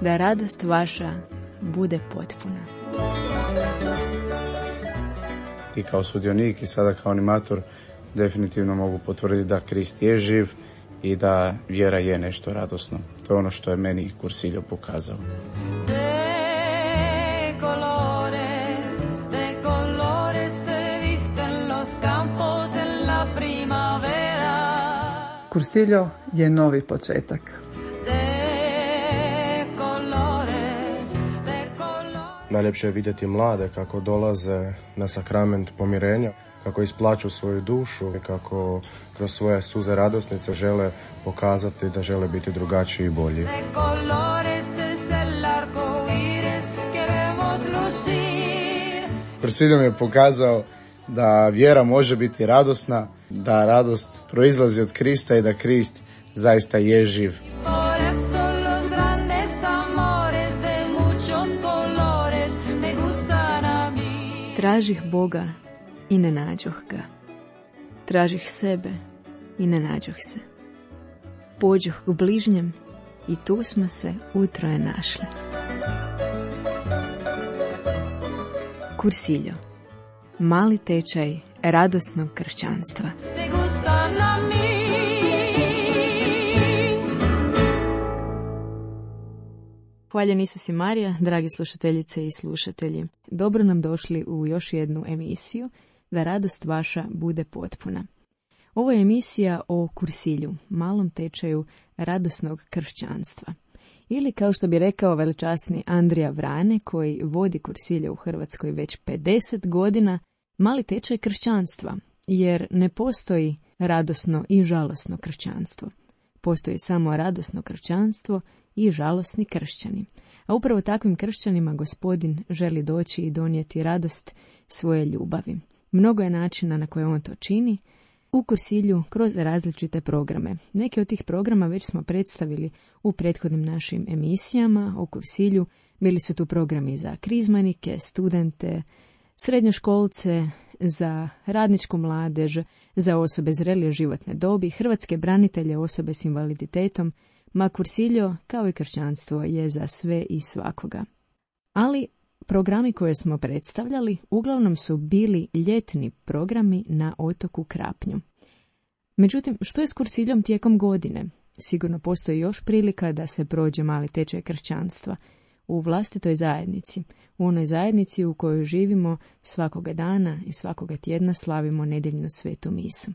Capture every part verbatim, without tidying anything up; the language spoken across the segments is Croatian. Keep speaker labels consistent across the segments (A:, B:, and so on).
A: da radost vaša bude potpuna.
B: I kao sudionik i sada kao animator definitivno mogu potvrditi da Krist je živ i da vjera je nešto radosno. To je ono što je meni Cursillo pokazao.
C: Cursillo je novi početak.
D: Najljepše je vidjeti mlade kako dolaze na sakrament pomirenja, kako isplaću svoju dušu i kako kroz svoje suze radosnice žele pokazati da žele biti drugačiji i bolji.
B: Cursillo mi je pokazao da vjera može biti radosna, da radost proizlazi od Krista i da Krist zaista je živ.
A: Tražih Boga i ne nađoh ga. Tražih sebe i ne nađoh se. Pođoh k bližnjem i tu smo se utroje našli. Cursillo. Mali tečaj radosnog kršćanstva. Hvaljen Isus i Marija, dragi slušateljice i slušatelji. Dobro nam došli u još jednu emisiju, da radost vaša bude potpuna. Ovo je emisija o Cursillu, malom tečaju radosnog kršćanstva. Ili, kao što bi rekao veličasni Andrija Vrane, koji vodi Cursillo u Hrvatskoj već pedeset godina, mali tečaj kršćanstva, jer ne postoji radosno i žalosno kršćanstvo. Postoji samo radosno kršćanstvo i žalosni kršćani. A upravo takvim kršćanima Gospodin želi doći i donijeti radost svoje ljubavi. Mnogo je načina na koje on to čini u Cursillu kroz različite programe. Neki od tih programa već smo predstavili u prethodnim našim emisijama o Cursillu. Bili su tu programi za krizmanike, studente, srednjoškolce, za radničku mladež, za osobe zrelije životne dobi, hrvatske branitelje, osobe s invaliditetom, ma Cursillo, kao i kršćanstvo, je za sve i svakoga. Ali programi koje smo predstavljali uglavnom su bili ljetni programi na otoku Krapnju. Međutim, što je s Cursillom tijekom godine? Sigurno postoji još prilika da se prođe mali tečaj kršćanstva u vlastitoj zajednici, u onoj zajednici u kojoj živimo svakoga dana i svakoga tjedna slavimo nedjeljnu svetu misu.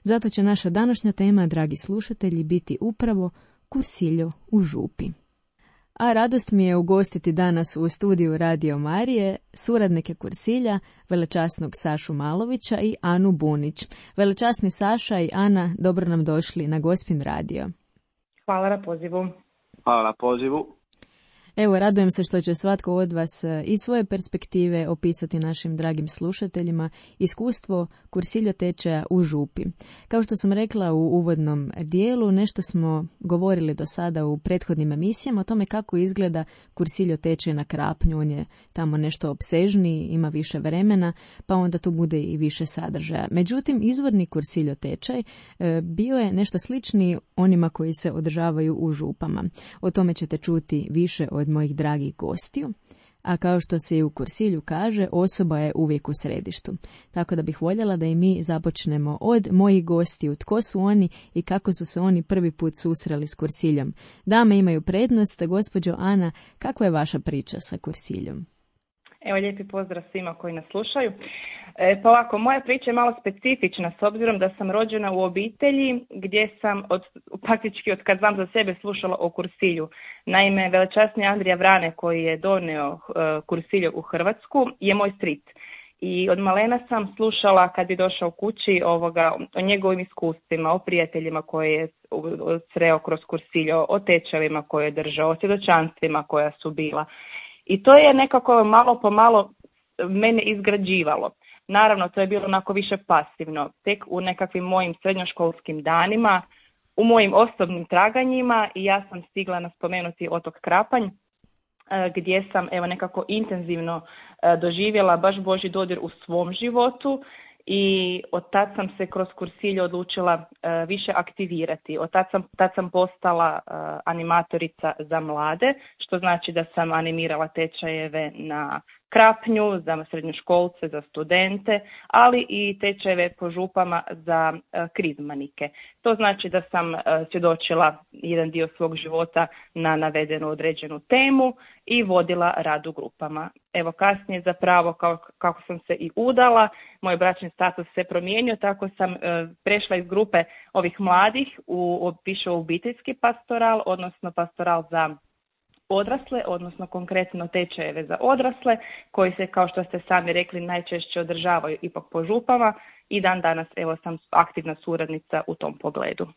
A: Zato će naša današnja tema, dragi slušatelji, biti upravo Cursillo u župi. A radost mi je ugostiti danas u studiju Radio Marije suradnike Cursilja, velečasnog Sašu Malovića i Anu Bunić. Velečasni Saša i Ana, dobro nam došli na Gospin radio.
E: Hvala na pozivu.
F: Hvala na pozivu.
A: Evo, radujem se što će svatko od vas iz svoje perspektive opisati našim dragim slušateljima iskustvo Cursillo tečaja u župi. Kao što sam rekla u uvodnom dijelu, nešto smo govorili do sada u prethodnim emisijama o tome kako izgleda Cursillo tečaj na Krapnju. On je tamo nešto opsežniji, ima više vremena, pa onda tu bude i više sadržaja. Međutim, izvorni Cursillo tečaj bio je nešto sličniji onima koji se održavaju u župama. O tome ćete čuti više od mojih dragih gostiju, a kao što se i u Cursillu kaže, osoba je uvijek u središtu. Tako da bih voljela da i mi započnemo od mojih gostiju, tko su oni i kako su se oni prvi put susreli s Cursillom. Dame imaju prednost, gospođo Ana, kakva je vaša priča sa Cursillom?
E: Evo, lijepi pozdrav svima koji nas slušaju. E, pa ovako, moja priča je malo specifična s obzirom da sam rođena u obitelji gdje sam od, praktički od kad znam za sebe slušala o Cursillu. Naime, velečasni Andrija Vrane koji je donio uh, Cursillo u Hrvatsku je moj stric. I od malena sam slušala kad bi došao kući ovoga, o njegovim iskustvima, o prijateljima koje je sreo kroz Cursillo, o tečajevima koje je držao, o svjedočanstvima koja su bila. I to je nekako malo po malo mene izgrađivalo. Naravno, to je bilo onako više pasivno. Tek u nekakvim mojim srednjoškolskim danima, u mojim osobnim traganjima, i ja sam stigla naspomenuti otok Krapanj, gdje sam evo nekako intenzivno doživjela baš Božji dodir u svom životu i od tad sam se kroz kursilje odlučila uh, više aktivirati. Od tad sam, tad sam postala uh, animatorica za mlade, što znači da sam animirala tečajeve na Krapnju, za srednjoškolce, za studente, ali i tečajeve po župama za uh, krizmanike. To znači da sam uh, svjedočila jedan dio svog života na navedenu određenu temu i vodila rad u grupama. Evo kasnije zapravo kako, kako sam se i udala, moj bračni status se promijenio, tako sam uh, prešla iz grupe ovih mladih u više obiteljski pastoral, odnosno pastoral za odrasle, odnosno konkretno tečajeve za odrasle, koji se, kao što ste sami rekli, najčešće održavaju ipak po župama i dan danas evo sam aktivna suradnica u tom pogledu.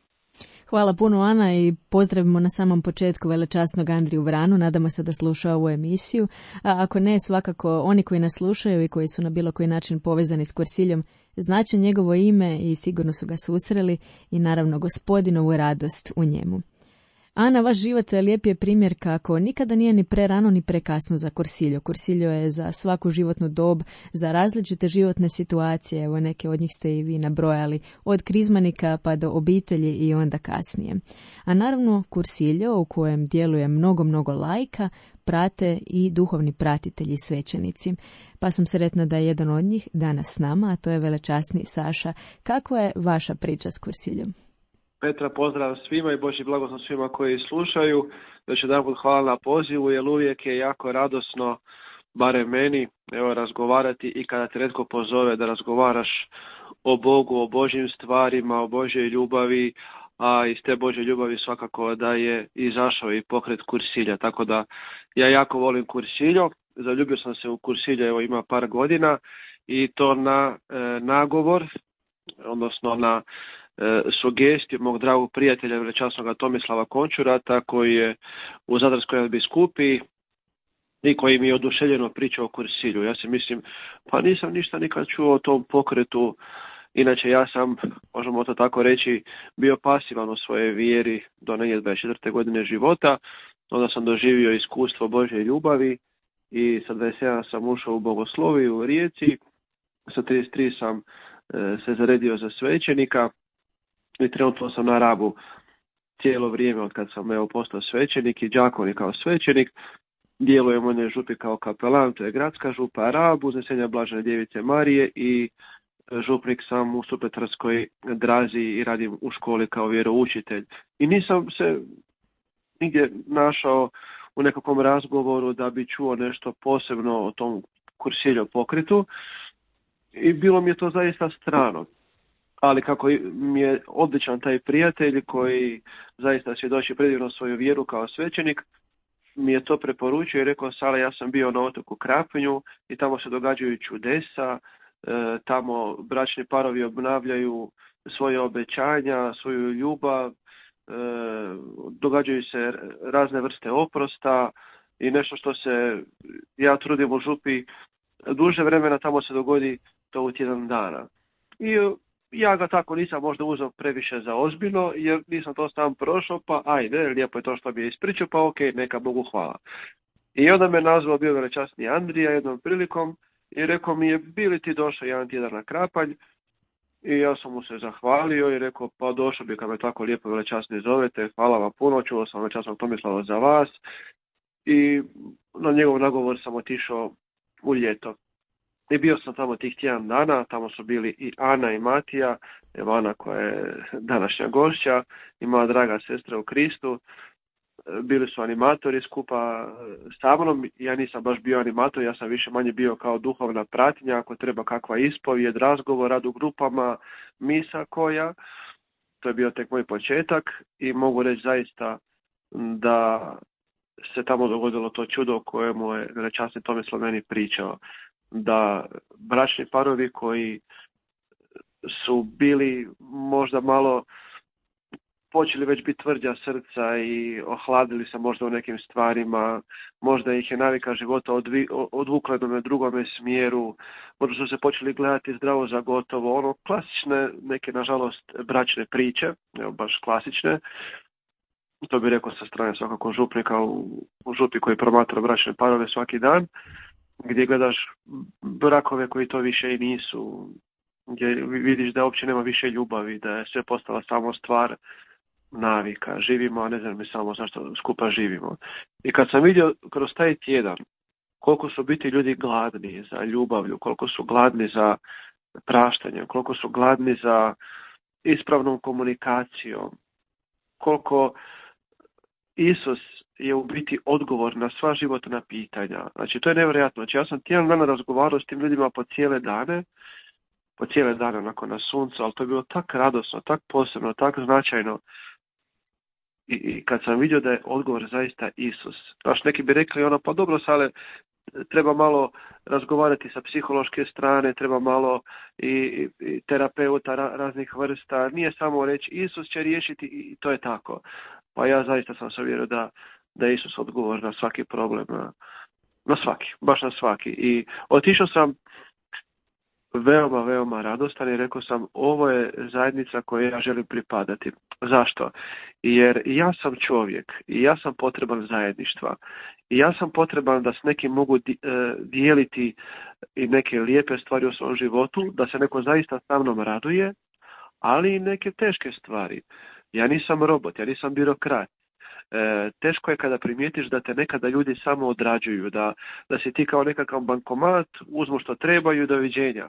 A: Hvala puno, Ana, i pozdravimo na samom početku velečasnog Andriju Vranu. Nadamo se da sluša ovu emisiju. A ako ne, svakako oni koji nas slušaju i koji su na bilo koji način povezani s Kursiljom znače njegovo ime i sigurno su ga susreli i naravno Gospodinovu radost u njemu. Ana, vaš život lijep je primjer kako nikada nije ni prerano ni prekasno za Kursiljo. Kursiljo je za svaku životnu dob, za različite životne situacije, evo neke od njih ste i vi nabrojali, od krizmanika pa do obitelji i onda kasnije. A naravno Kursiljo, u kojem djeluje mnogo, mnogo laika, prate i duhovni pratitelji i svećenici. Pa sam sretna da je jedan od njih danas s nama, a to je velečasni Saša. Kakva je vaša priča s Kursiljom?
F: Petra, pozdrav svima i Božji blagoslov svima koji slušaju. Još jedanput hvala na pozivu, jer uvijek je jako radosno, barem meni, evo, razgovarati i kada te netko pozove da razgovaraš o Bogu, o Božjim stvarima, o Božjoj ljubavi, a iz te Božje ljubavi svakako da je izašao i pokret Kursilja. Tako da ja jako volim Kursiljo, zaljubio sam se u Kursilje, evo ima par godina i to na e, nagovor, odnosno na sugestiju mog dragog prijatelja velečasnog Tomislava Končurata, koji je u Zadarskoj biskupiji i koji mi je oduševljeno pričao o Kursilju. Ja se mislim, pa nisam ništa nikad čuo o tom pokretu. Inače ja sam, možemo to tako reći, bio pasivan u svojoj vjeri do negdje dvadeset četvrte godine života. Onda sam doživio iskustvo Božje ljubavi i sa dvadeset jedan sam ušao u bogosloviju u Rijeci. Sa trideset tri sam e, se zaredio za svećenika. I trenutno sam na Rabu cijelo vrijeme od kad sam evo postao svećenik i đakonik kao svećenik. Djelujem u jednoj župi kao kapelan, to je gradska župa Rab, Uznesenja Blažene Djevice Marije, i župnik sam u Supetarskoj Drazi i radim u školi kao vjeroučitelj. I nisam se nigdje našao u nekakvom razgovoru da bi čuo nešto posebno o tom Kursiljo pokretu i bilo mi je to zaista strano. Ali kako mi je odličan taj prijatelj koji zaista svjedoči predivno svoju vjeru kao svećenik, mi je to preporučio i rekao: Sale, ja sam bio na otoku Krapnju i tamo se događaju čudesa, e, tamo bračni parovi obnavljaju svoje obećanja, svoju ljubav, e, događaju se razne vrste oprosta i nešto što se ja trudim u župi duže vremena, tamo se dogodi to u tjedan dana. I ja ga tako nisam možda uzeo previše za ozbiljno, jer nisam to sam prošao, pa ajde, lijepo je to što mi je ispričao, pa ok, neka Bogu hvala. I onda me nazvao bio velečasni Andrija jednom prilikom i rekao mi je: bi li ti došao jedan tjedan na Krapanj? I ja sam mu se zahvalio i rekao: pa došao bi kad me tako lijepo velečasni zovete, hvala vam puno, čuo sam velečasnog Tomislava za vas. I na njegov nagovor sam otišao u ljeto. I bio sam tamo tih tjedan dana, tamo su bili i Ana i Matija, evo Ana koja je današnja gošća i moja draga sestra u Kristu. Bili su animatori skupa sa mnom, ja nisam baš bio animator, ja sam više manje bio kao duhovna pratnja, ako treba kakva ispovijed, razgovor, rad u grupama, misa koja. To je bio tek moj početak i mogu reći zaista da se tamo dogodilo to čudo o kojemu je velečasni Tomislav meni pričao. Da bračni parovi koji su bili možda malo počeli već biti tvrđa srca i ohladili se možda u nekim stvarima, možda ih je navika života odvi, odvukla na drugome smjeru, možda su se počeli gledati zdravo za gotovo, ono klasične neke nažalost bračne priče, evo baš klasične. To bi rekao sa strane svakako župnika u, u župi koji promatra bračne parove svaki dan, gdje gledaš brakove koji to više i nisu, gdje vidiš da uopće nema više ljubavi, da je sve postala samo stvar navika. Živimo, a ne znam mi samo zašto skupa živimo. I kad sam vidio kroz taj tjedan koliko su biti ljudi gladni za ljubavlju, koliko su gladni za praštanjem, koliko su gladni za ispravnom komunikacijom, koliko Isus je u biti odgovor na sva životna pitanja. Znači, to je nevjerojatno. Znači, ja sam tjedan dana razgovarao s tim ljudima po cijele dane, po cijele dane onako na suncu, ali to je bilo tak radosno, tak posebno, tak značajno. I, i kad sam vidio da je odgovor zaista Isus. Znaš, neki bi rekli ono, pa dobro, sale, treba malo razgovarati sa psihološke strane, treba malo i, i terapeuta ra, raznih vrsta. Nije samo reći Isus će riješiti i to je tako. Pa ja zaista sam se uvjerio da, da je Isus odgovor na svaki problem, na, na svaki, baš na svaki. I otišao sam veoma, veoma radostan i rekao sam, ovo je zajednica kojoj ja želim pripadati. Zašto? Jer ja sam čovjek i ja sam potreban zajedništva. I ja sam potreban da s nekim mogu dijeliti i neke lijepe stvari u svom životu, da se neko zaista sa mnom raduje, ali i neke teške stvari. Ja nisam robot, ja nisam birokrat. E, teško je kada primijetiš da te nekada ljudi samo odrađuju, da, da si ti kao nekakav bankomat, uzmu što trebaju, doviđenja.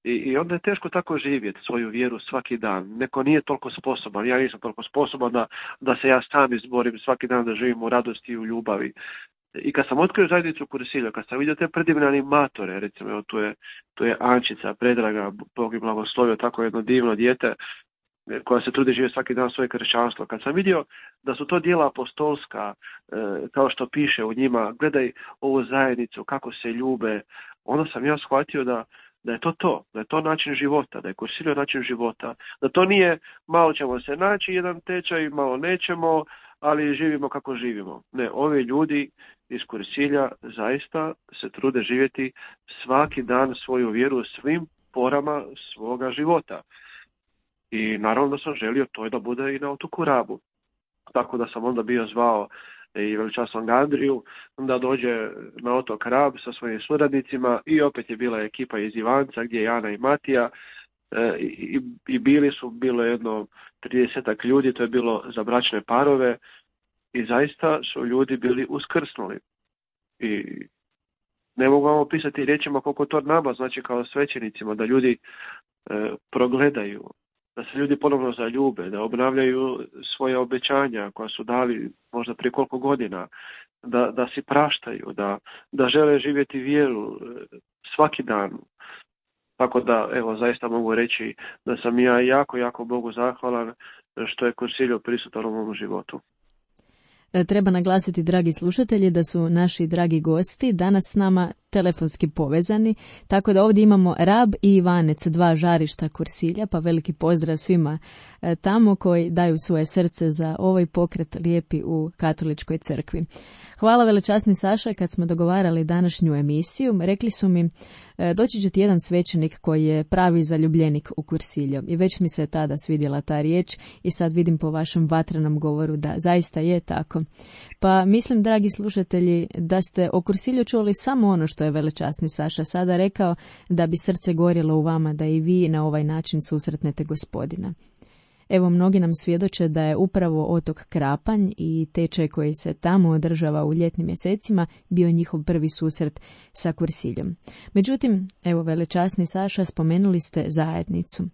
F: I, I onda je teško tako živjeti svoju vjeru svaki dan. Neko nije toliko sposoban, ja nisam toliko sposoban da, da se ja sam izborim svaki dan da živim u radosti i u ljubavi. I kad sam otkrio zajednicu Kursilja, kad sam vidio te predivne animatore, recimo evo, tu, je, tu je Ančica, Predraga, Bog im blagoslovio, tako jedno divno dijete, koja se trudi živjeti svaki dan svoje kršćanstvo. Kad sam vidio da su to djela apostolska, e, kao što piše u njima, gledaj ovu zajednicu, kako se ljube, onda sam ja shvatio da, da je to to, da je to način života, da je Kursilio način života, da to nije malo ćemo se naći, jedan tečaj, malo nećemo, ali živimo kako živimo. Ne, ovi ljudi iz Kursilja zaista se trude živjeti svaki dan svoju vjeru u svim porama svoga života. I naravno da sam želio to da bude i na otoku Rabu. Tako da sam onda bio zvao i veličasnog Andriju da dođe na otok Rab sa svojim suradnicima i opet je bila ekipa iz Ivanca gdje je Ana i Matija e, i, i bili su, bilo jedno tridesetak ljudi, to je bilo za bračne parove i zaista su ljudi bili uskrsnuli. I ne mogu vam opisati riječima koliko to nama znači kao svećenicima, da ljudi e, progledaju, da se ljudi ponovno zaljube, da obnavljaju svoje obećanja koja su dali možda prije koliko godina, da, da si praštaju, da, da žele živjeti vjeru svaki dan. Tako da, evo, zaista mogu reći da sam ja jako, jako Bogu zahvalan što je Kursilio prisutan u mom životu.
A: Treba naglasiti, dragi slušatelji, da su naši dragi gosti danas s nama telefonski povezani, tako da ovdje imamo Rab i Ivanec, dva žarišta Kursilja, pa veliki pozdrav svima tamo koji daju svoje srce za ovaj pokret lijepi u katoličkoj crkvi. Hvala velečasni Saša, kad smo dogovarali današnju emisiju, rekli su mi doći će ti jedan svećenik koji je pravi zaljubljenik u Kursilju i već mi se tada svidjela ta riječ i sad vidim po vašem vatrenom govoru da zaista je tako. Pa mislim, dragi slušatelji, da ste o Kursilju čuli samo ono što je velečasni Saša sada rekao, da bi srce gorjelo u vama da i vi na ovaj način susretnete Gospodina. Evo, mnogi nam svjedoče da je upravo otok Krapanj i tečaj koji se tamo održava u ljetnim mjesecima bio njihov prvi susret sa Kursiljom. Međutim, evo, velečasni Saša, spomenuli ste zajednicu.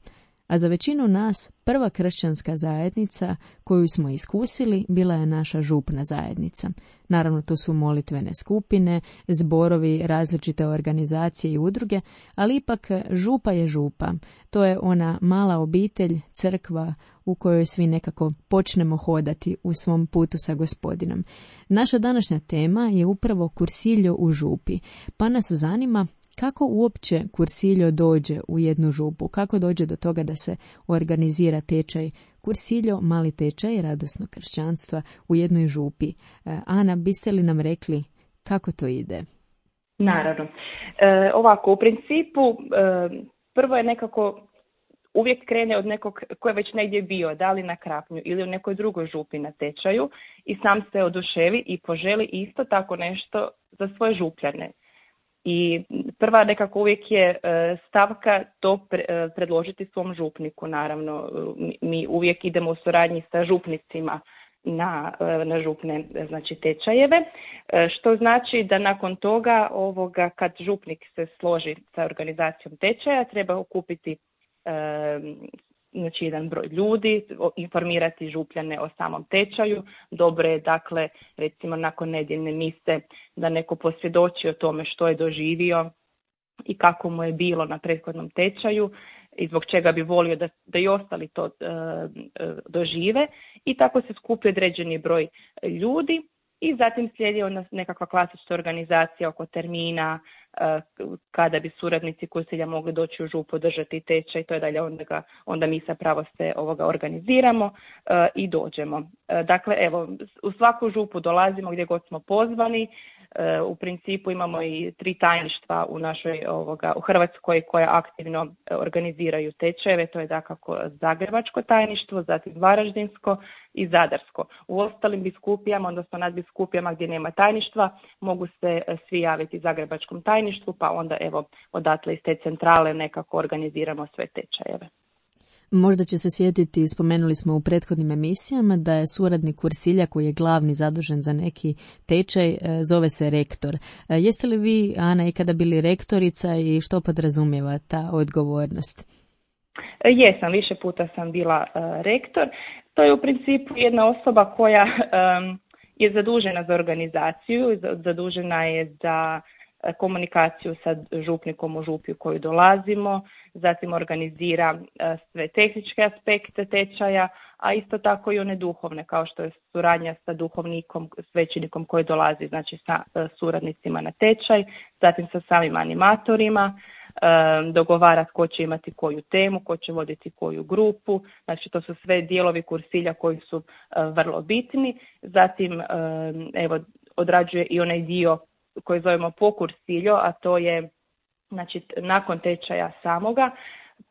A: A za većinu nas prva kršćanska zajednica koju smo iskusili bila je naša župna zajednica. Naravno, to su molitvene skupine, zborovi, različite organizacije i udruge, ali ipak župa je župa. To je ona mala obitelj, crkva u kojoj svi nekako počnemo hodati u svom putu sa Gospodinom. Naša današnja tema je upravo Kursiljo u župi, pa nas zanima kako uopće Kursiljo dođe u jednu župu, kako dođe do toga da se organizira tečaj Kursiljo, mali tečaj radosnog kršćanstva u jednoj župi. Ana, biste li nam rekli kako to ide?
E: Naravno. E, ovako, u principu, e, prvo je nekako, uvijek krene od nekog ko je već negdje bio, da li na Krapnju ili u nekoj drugoj župi na tečaju i sam se oduševi i poželi isto tako nešto za svoje župljane. I prva nekako uvijek je stavka to predložiti svom župniku, naravno. Mi uvijek idemo u suradnji sa župnicima na, na župne znači, tečajeve, što znači da nakon toga ovoga, kad župnik se složi sa organizacijom tečaja, treba okupiti znači jedan broj ljudi, informirati župljane o samom tečaju. Dobro je, dakle, recimo nakon nedjeljne mise da neko posvjedoči o tome što je doživio i kako mu je bilo na prethodnom tečaju i zbog čega bi volio da, da i ostali to e, dožive. I tako se skupi određeni broj ljudi i zatim slijedi onda nekakva klasična organizacija oko termina, kada bi suradnici kursilja mogli doći u župu, držati tečaj, to je dalje onda, ga, onda mi sa pravo se ovoga organiziramo uh, i dođemo. Uh, dakle, evo, u svaku župu dolazimo gdje god smo pozvani. Uh, u principu imamo i tri tajništva u našoj ovoga, u Hrvatskoj koja aktivno organiziraju tečajeve, to je dakako Zagrebačko tajništvo, zatim Varaždinsko i Zadarsko. U ostalim biskupijama, odnosno nadbiskupijama gdje nema tajništva, mogu se svi javiti Zagrebačkom tajništvu, pa onda evo odatle iz te centrale nekako organiziramo sve tečajeve.
A: Možda će se sjetiti, spomenuli smo u prethodnim emisijama, da je suradnik kursilja koji je glavni zadužen za neki tečaj, zove se rektor. Jeste li vi, Ana, ikada bili rektorica i što podrazumijeva ta odgovornost?
E: Jesam, više puta sam bila uh, rektor. To je u principu jedna osoba koja um, je zadužena za organizaciju, zadužena je za komunikaciju sa župnikom u župi u koju dolazimo, zatim organizira sve tehničke aspekte tečaja, a isto tako i one duhovne, kao što je suradnja sa duhovnikom, svećenikom koji dolazi, znači sa suradnicima na tečaj, zatim sa samim animatorima, dogovara tko će imati koju temu, ko će voditi koju grupu, znači to su sve dijelovi kursilja koji su vrlo bitni, zatim evo odrađuje i onaj dio koji zovemo pokursiljo, a to je znači nakon tečaja samoga,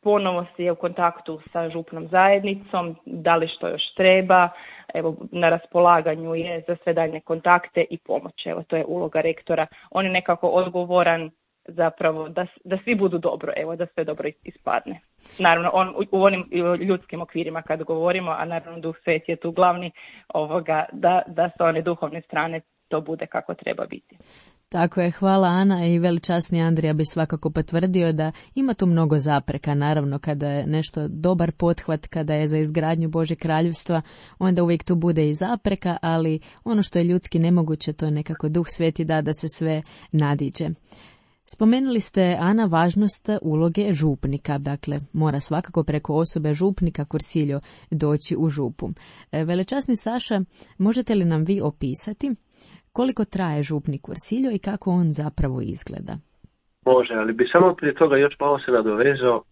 E: ponovo se je u kontaktu sa župnom zajednicom, da li što još treba, evo na raspolaganju je za sve daljnje kontakte i pomoć. Evo to je uloga rektora. On je nekako odgovoran zapravo da, da svi budu dobro, evo da sve dobro ispadne. Naravno on u, u onim ljudskim okvirima kad govorimo, a naravno Duh Sveti je tu glavni, ovoga, da, da sa one duhovne strane to bude kako treba biti.
A: Tako je, hvala Ana, i veličasni Andrija bi svakako potvrdio da ima tu mnogo zapreka. Naravno, kada je nešto dobar pothvat, kada je za izgradnju Božjeg kraljevstva, onda uvijek tu bude i zapreka, ali ono što je ljudski nemoguće, to je nekako Duh Sveti da da se sve nadiđe. Spomenuli ste, Ana, važnost uloge župnika, dakle mora svakako preko osobe župnika kursiljo doći u župu. Velečasni Saša, možete li nam vi opisati koliko traje župni kursiljo i kako on zapravo izgleda?
F: Može, ali bi samo prije toga još malo se nadovezao,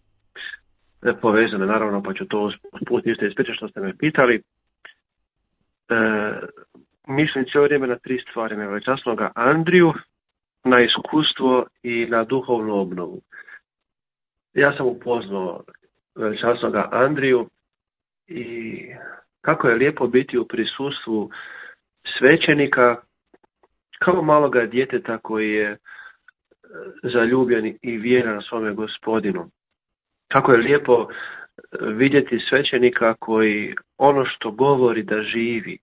F: povezano naravno, pa ću to usputiti isto ispričati što ste me pitali. E, mislim cijelo vrijeme na tri stvari, na velečasnoga Andriju, na iskustvo i na duhovnu obnovu. Ja sam upoznao velečasnoga Andriju i kako je lijepo biti u prisustvu svećenika kao maloga djeteta koji je zaljubljen i vjeran svome Gospodinu. Kako je lijepo vidjeti svećenika koji ono što govori da živi.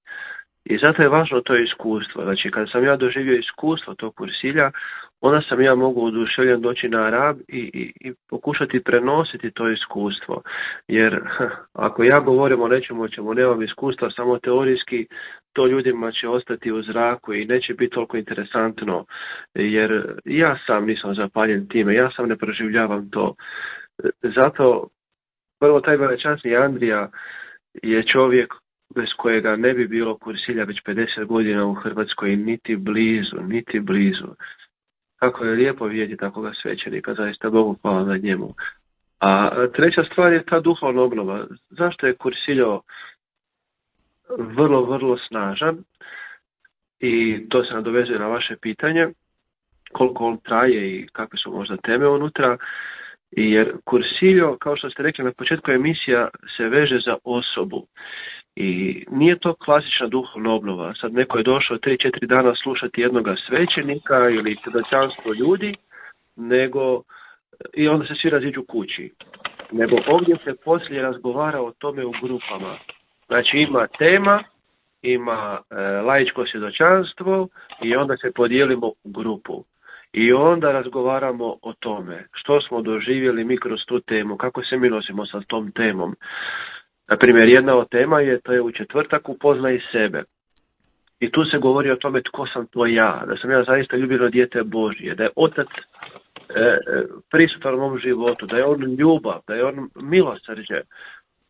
F: I zato je važno to iskustvo. Znači, kad sam ja doživio iskustvo tog kursilja, onda sam ja mogu oduševljen doći na Rab i, i, i pokušati prenositi to iskustvo. Jer ako ja govorim o nečemu o čemu nemam iskustva, samo teorijski, to ljudima će ostati u zraku i neće biti toliko interesantno. Jer ja sam nisam zapaljen time, ja sam ne proživljavam to. Zato prvo taj velečasni Andrija je čovjek bez kojega ne bi bilo kursilja već pedeset godina u Hrvatskoj, niti blizu, niti blizu. Kako je lijepo vidjeti takvoga svećenika, zaista Bogu hvala na njemu. A treća stvar je ta duhovna obnova. Zašto je kursiljo vrlo, vrlo snažan? I to se nadovezuje na vaše pitanje, koliko on traje i kakve su možda teme unutra. Jer kursiljo, kao što ste rekli na početku emisija, se veže za osobu. I nije to klasična duhovna obnova. Sad neko je došao tri četiri dana slušati jednoga svećenika ili svjedočanstvo ljudi, nego i onda se svi raziđu kući. Nego ovdje se poslije razgovara o tome u grupama. Znači ima tema, ima e, laičko svjedočanstvo i onda se podijelimo u grupu. I onda razgovaramo o tome što smo doživjeli mi kroz tu temu, kako se mi nosimo sa tom temom. Na primjer, jedna od tema je, to je u četvrtak, upoznaj sebe. I tu se govori o tome tko sam to ja, da sam ja zaista ljubljeno dijete Božje, da je Otac e, prisutan u mom životu, da je on ljubav, da je on milosrđe.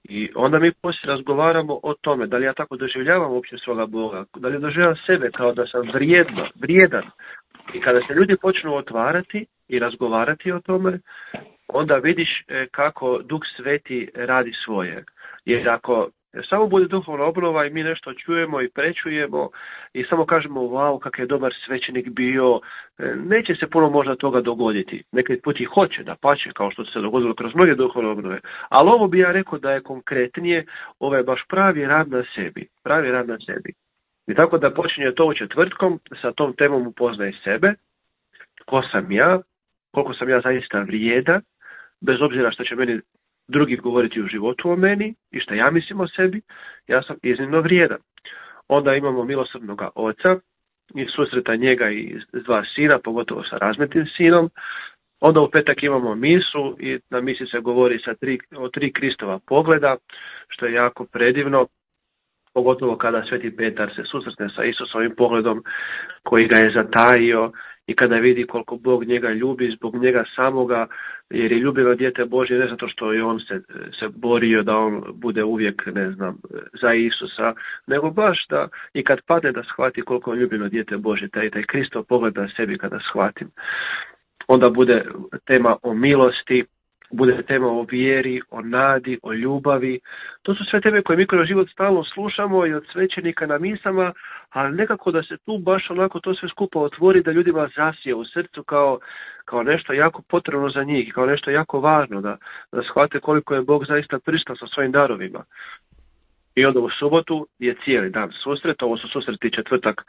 F: I onda mi poslije razgovaramo o tome, da li ja tako doživljavam uopće svoga Boga, da li doživljavam sebe kao da sam vrijedno, vrijedan. I kada se ljudi počnu otvarati i razgovarati o tome, onda vidiš kako Duh Sveti radi svoje. Jer ako samo bude duhovna obnova i mi nešto čujemo i prečujemo i samo kažemo wow, kak je dobar svećenik bio, neće se puno možda toga dogoditi. Neki put i hoće, da pače, kao što se dogodilo kroz mnoge duhovne obnove. Ali ovo bi ja rekao da je konkretnije, ovo je baš pravi rad na sebi. Pravi rad na sebi. I tako da počinje to u četvrtkom, sa tom temom upoznaj sebe, ko sam ja, koliko sam ja zaista vrijedan, bez obzira što će meni drugi govoriti u životu o meni i što ja mislim o sebi, ja sam iznimno vrijedan. Onda imamo milosrdnog oca i susreta njega i dva sina, pogotovo sa razmetnim sinom. Onda u petak imamo misu i na misi se govori sa tri, o tri Kristova pogleda, što je jako predivno. Pogotovo kada Sveti Petar se susretne sa Isusovim pogledom koji ga je zatajio i kada vidi koliko Bog njega ljubi zbog njega samoga, jer je ljubljeno dijete Božje ne zato što je on se, se borio da on bude uvijek, ne znam, za Isusa, nego baš da i kad padne da shvati koliko je ljubljeno dijete Božje, taj, taj Kristov pogled na sebi kada shvatim. Onda bude tema o milosti, bude tema o vjeri, o nadi, o ljubavi. To su sve teme koje mi kroz život stalno slušamo i od svećenika na misama, ali nekako da se tu baš onako to sve skupa otvori, da ljudima zasije u srcu kao, kao nešto jako potrebno za njih, kao nešto jako važno, da, da shvate koliko je Bog zaista prisutan sa svojim darovima. I onda u subotu je cijeli dan susret, ovo su susreti četvrtak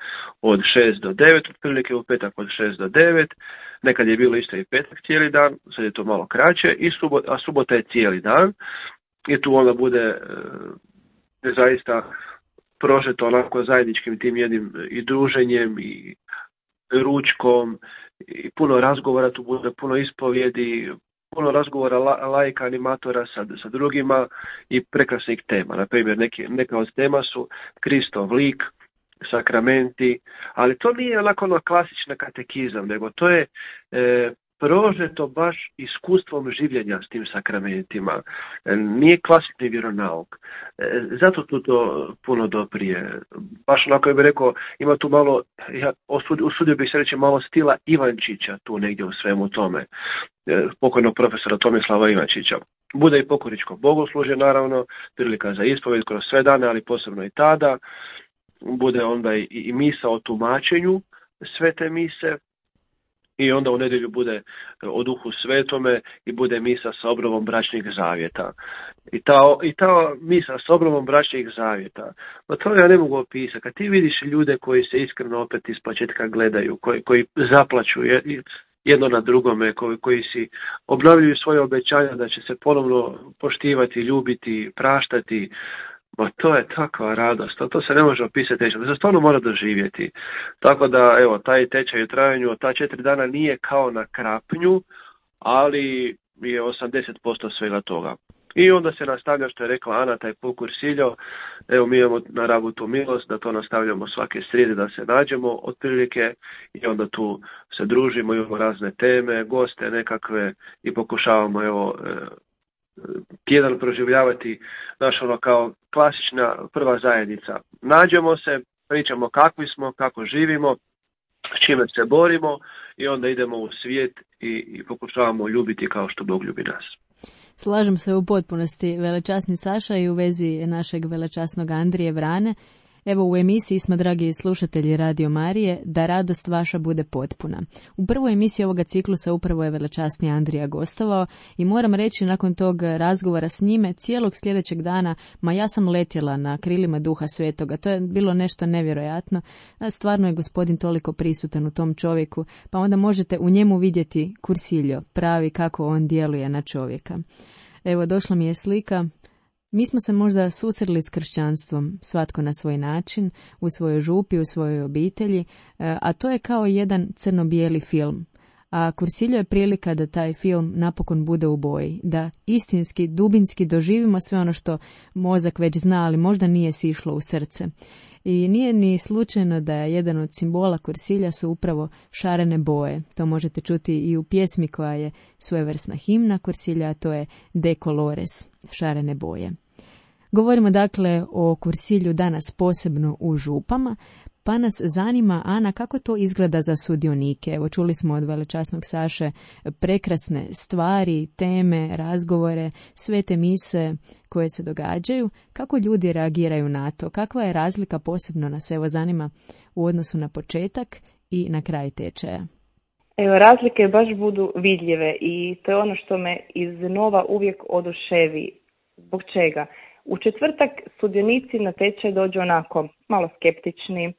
F: od šest do devet, otprilike u petak od šest do devet, nekad je bilo isto i petak cijeli dan, sad je to malo kraće, i subot, a subota je cijeli dan i tu onda bude e, zaista prožeto onako zajedničkim tim jednim i druženjem i ručkom i puno razgovora, tu bude puno ispovjedi, puno razgovora la, lajka, animatora sa, sa drugima i prekrasnih tema. Na primjer, neke, neka od tema su Kristov lik, sakramenti, ali to nije onako ono klasična katekizam, nego to je e, prožeto baš iskustvom življenja s tim sakramentima. E, nije klasični vjeronauk. E, zato tu to puno doprije. Baš onako bih rekao, ima tu malo, ja osudio, usudio bih se reći malo stila Ivančića tu negdje u svemu tome. E, pokojnog profesora Tomislava Ivančića. Bude i pokoričko bogoslužje, naravno, prilika za ispovjed kroz sve dane, ali posebno i tada. Bude onda i, i misa o tumačenju svete mise i onda u nedjelju bude o Duhu Svetome i bude misa sa obnovom bračnih zavjeta. I ta, i ta misa sa obnovom bračnih zavjeta, no to ja ne mogu opisati. Kad ti vidiš ljude koji se iskreno opet iz početka gledaju, koji, koji zaplaću jedno na drugome, koji, koji si obnavljaju svoje obećanja da će se ponovno poštivati, ljubiti, praštati, ma to je takva radost, to, to se ne može opisati, to se stvarno mora doživjeti. Tako da, evo, taj tečaj u trajanju od ta četiri dana nije kao na krapnju, ali je osamdeset posto svega toga. I onda se nastavlja, što je rekla Ana, taj pol kursiljo, evo mi imamo na Rabu tu milost, da to nastavljamo svake srijede, da se nađemo otprilike i onda tu se družimo, imamo razne teme, goste nekakve i pokušavamo, evo, tjedan proživljavati naš ono kao klasična prva zajednica. Nađemo se, pričamo kakvi smo, kako živimo, s čime se borimo i onda idemo u svijet i, i pokušavamo ljubiti kao što Bog ljubi nas.
A: Slažem se u potpunosti, velečasni Saša, i u vezi našeg velečasnog Andrije Vrane. Evo u emisiji smo, dragi slušatelji Radio Marije, da radost vaša bude potpuna. U prvoj emisiji ovoga ciklusa upravo je velečasni Andrija gostovao i moram reći nakon tog razgovora s njime cijelog sljedećeg dana, ma ja sam letjela na krilima Duha Svetoga. To je bilo nešto nevjerojatno. Stvarno je gospodin toliko prisutan u tom čovjeku, pa onda možete u njemu vidjeti Cursillo, pravi kako on djeluje na čovjeka. Evo, došla mi je slika. Mi smo se možda susreli s kršćanstvom, svatko na svoj način, u svojoj župi, u svojoj obitelji, a to je kao jedan crno-bijeli film. A Cursillo je prilika da taj film napokon bude u boji, da istinski, dubinski doživimo sve ono što mozak već zna, ali možda nije sišlo u srce. I nije ni slučajno da je jedan od simbola Cursilja su upravo šarene boje. To možete čuti i u pjesmi koja je svojevrsna himna Cursilja, a to je De Colores, šarene boje. Govorimo dakle o Cursilju danas posebno u župama, pa nas zanima, Ana, kako to izgleda za sudionike. Evo, čuli smo od velečasnog Saše prekrasne stvari, teme, razgovore, svete mise koje se događaju. Kako ljudi reagiraju na to? Kakva je razlika, posebno nas evo zanima, u odnosu na početak i na kraj tečaja?
E: Evo, razlike baš budu vidljive i to je ono što me iznova uvijek oduševi. Zbog čega? U četvrtak sudionici na tečaj dođu onako malo skeptični,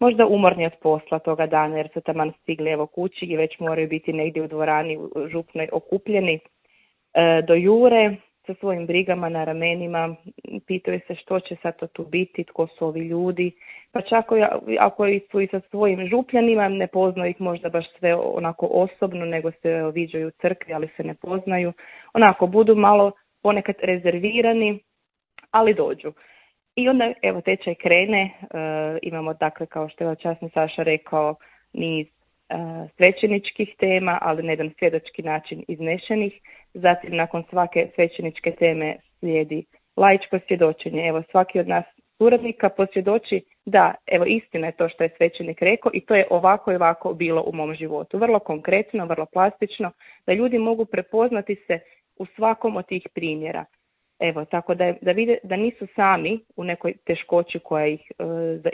E: možda umorni od posla toga dana jer su taman stigli evo kući i već moraju biti negdje u dvorani u župnoj okupljeni. E, do jure sa svojim brigama na ramenima, pitaju se što će sad to tu biti, tko su ovi ljudi, pa čak ako su i sa svojim župljanima, ne poznaju ih možda baš sve onako osobno, nego se viđaju u crkvi, ali se ne poznaju. Onako budu malo ponekad rezervirani, ali dođu. I onda, evo, tečaj krene, e, imamo, dakle, kao što je časni Saša rekao, niz e, svećeničkih tema, ali na jedan svjedočki način iznešenih. Zatim, nakon svake svećeničke teme slijedi laičko svjedočenje. Evo, svaki od nas suradnika posvjedoči da, evo, istina je to što je svećenik rekao i to je ovako i ovako bilo u mom životu. Vrlo konkretno, vrlo plastično, da ljudi mogu prepoznati se u svakom od tih primjera. Evo, tako da, da vide da nisu sami u nekoj teškoći koja ih,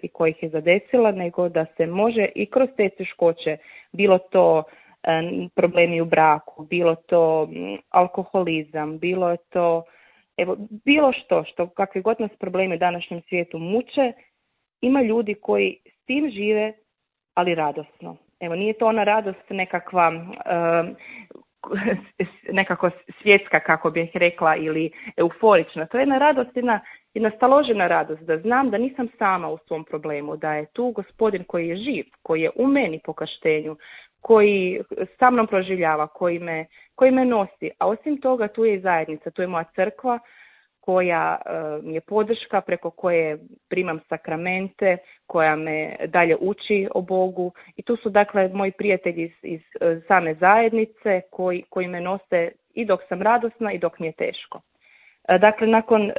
E: e, koja ih je zadesila, nego da se može i kroz te teškoće, bilo to e, problemi u braku, bilo to m, alkoholizam, bilo je to, evo, bilo što, što kakvi god nas problemi u današnjem svijetu muče, ima ljudi koji s tim žive, ali radosno. Evo, nije to ona radost nekakva... E, nekako svjetska, kako bih rekla, ili euforična. To je jedna radost, jedna, jedna staložena radost, da znam da nisam sama u svom problemu, da je tu gospodin koji je živ, koji je u meni po krštenju, koji sa mnom proživljava, koji me, koji me nosi. A osim toga tu je i zajednica, tu je moja crkva koja uh, mi je podrška, preko koje primam sakramente, koja me dalje uči o Bogu. I tu su dakle moji prijatelji iz, iz uh, same zajednice koji, koji me nose i dok sam radosna i dok mi je teško. Uh, dakle, nakon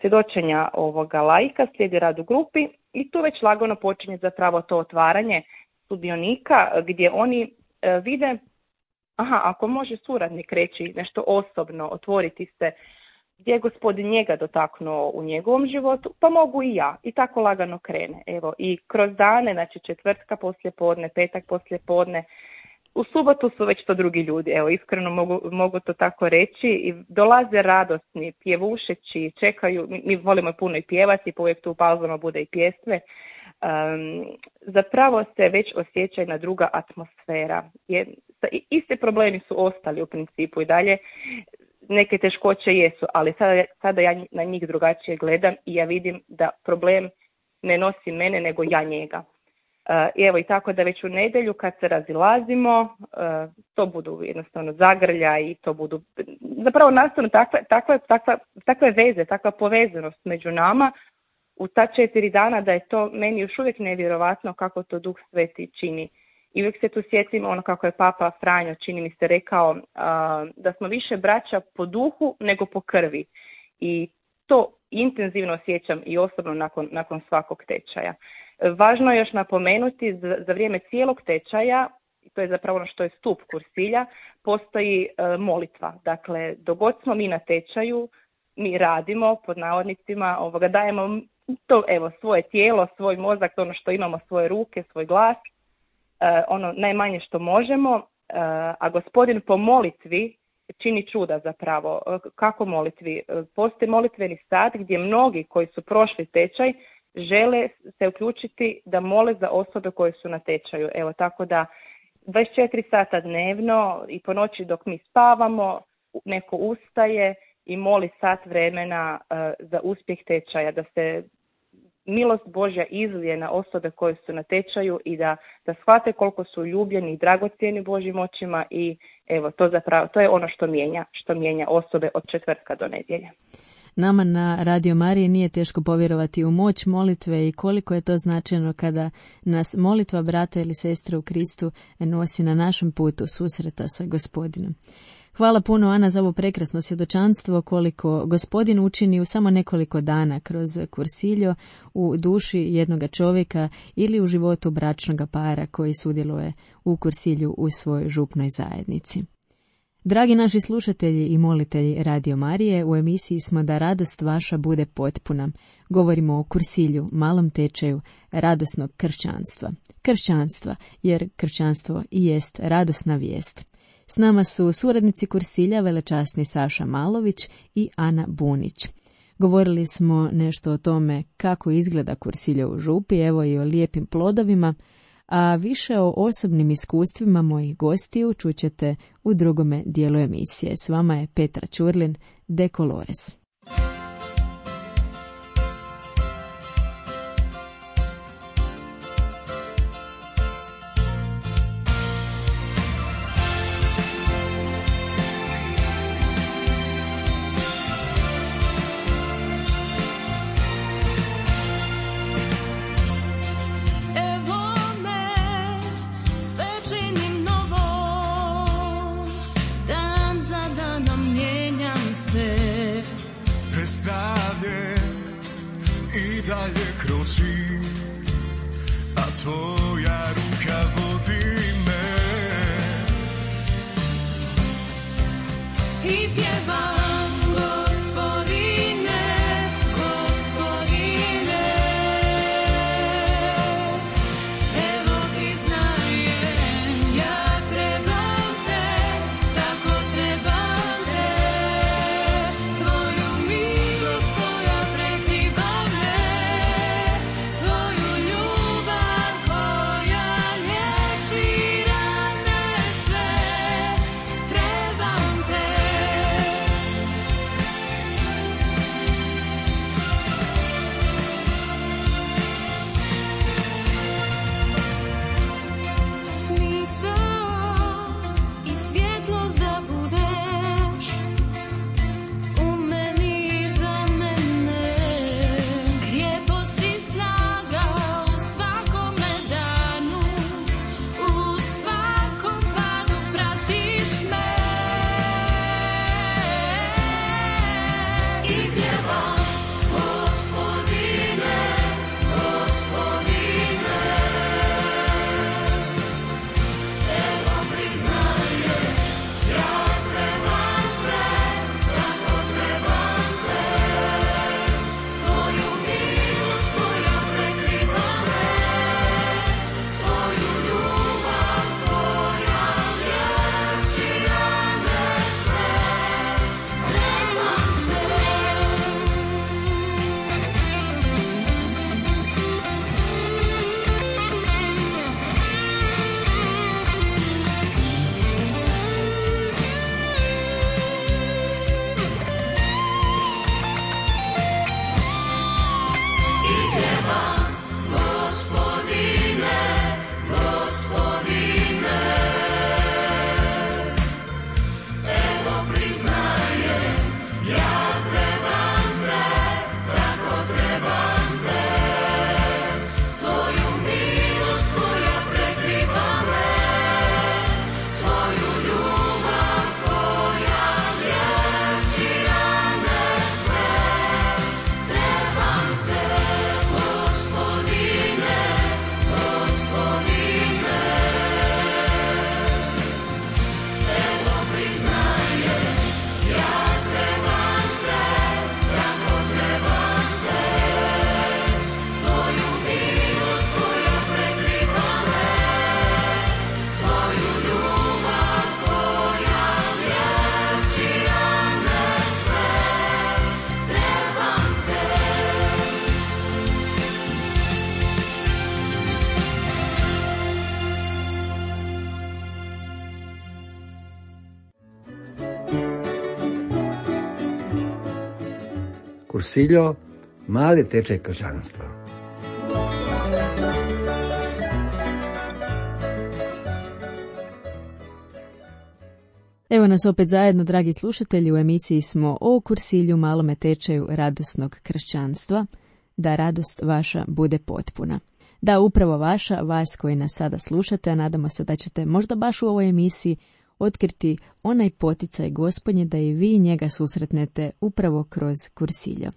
E: svjedočenja ovoga laika slijedi rad u grupi i tu već lagano počinje zapravo to otvaranje sudionika gdje oni uh, vide, aha, ako može suradnik reći nešto osobno, otvoriti se, gdje je gospodin njega dotaknuo u njegovom životu, pa mogu i ja. I tako lagano krene. Evo, i kroz dane, znači četvrtka poslije podne, petak poslije podne, u subotu su već to drugi ljudi. Evo, iskreno mogu, mogu to tako reći. I dolaze radosni, pjevušeći, čekaju, mi, mi volimo puno i pjevati, pa uvijek tu u pauzama bude i pjesme. Um, zapravo se već osjeća jedna druga atmosfera. Je, iste problemi su ostali u principu i dalje. Neke teškoće jesu, ali sada, sada ja na njih drugačije gledam i ja vidim da problem ne nosi mene, nego ja njega. Uh, evo i tako da već u nedjelju kad se razilazimo, uh, to budu jednostavno zagrlja i to budu zapravo nastavno takve, takve, takve, takve veze, takva povezanost među nama u ta četiri dana da je to meni još uvijek nevjerovatno kako to Duh Sveti čini. I uvijek se tu sjetim ono kako je Papa Franjo, čini mi se, rekao uh, da smo više braća po duhu nego po krvi. I to intenzivno osjećam i osobno nakon, nakon svakog tečaja. Važno je još napomenuti za, za vrijeme cijelog tečaja, to je zapravo ono što je stup Cursilja, postoji uh, molitva. Dakle, dok god smo mi na tečaju, mi radimo, pod navodnicima, ovoga, dajemo to, evo, svoje tijelo, svoj mozak, ono što imamo, svoje ruke, svoj glas, uh, ono najmanje što možemo, uh, a Gospodin po molitvi čini čuda zapravo. Uh, kako molitvi? Uh, postoji molitveni sat gdje mnogi koji su prošli tečaj žele se uključiti da mole za osobe koje su na tečaju. Evo, tako da dvadeset četiri sata dnevno i po noći dok mi spavamo, neko ustaje i moli sat vremena uh, za uspjeh tečaja, da se milost Božja izlije na osobe koje su na tečaju i da, da shvate koliko su ljubljeni i dragocjeni Božjim očima i evo, to zapravo, to je ono što mijenja, što mijenja osobe od četvrtka do nedjelje.
A: Nama na Radio Mariji nije teško povjerovati u moć molitve i koliko je to značajno kada nas molitva brata ili sestre u Kristu nosi na našem putu susreta sa Gospodinom. Hvala puno, Ana, za ovo prekrasno svjedočanstvo koliko Gospodin učini u samo nekoliko dana kroz kursiljo u duši jednoga čovjeka ili u životu bračnoga para koji sudjeluje u kursilju u svojoj župnoj zajednici. Dragi naši slušatelji i molitelji Radio Marije, u emisiji smo Da radost vaša bude potpuna. Govorimo o kursilju, malom tečaju radosnog kršćanstva. Kršćanstva, jer kršćanstvo i jest radosna vijest. S nama su suradnici kursilja velečasni Saša Malović i Ana Bunić. Govorili smo nešto o tome kako izgleda kursilje u župi, evo i o lijepim plodovima, a više o osobnim iskustvima mojih gostiju čućete u drugome dijelu emisije. S vama je Petra Ćurlin, De Colores.
G: I dalje kročim, a tvoja ruka vodi me. I pjevam, Gospodine, Gospodine, evo priznajem, ja trebam te, tako trebam te, tvoju milost koja prekriva me, tvoju ljubav koja liječi rane sve, trebam te.
H: Kursiljo, mali tečaj kršćanstva.
A: Evo nas opet zajedno, dragi slušatelji, u emisiji smo o Kursilju, malome tečaju radosnog kršćanstva, da radost vaša bude potpuna. Da, upravo vaša, vas koji nas sada slušate, a nadamo se da ćete možda baš u ovoj emisiji otkriti onaj poticaj Gospodnje da i vi njega susretnete upravo kroz Kursiljo.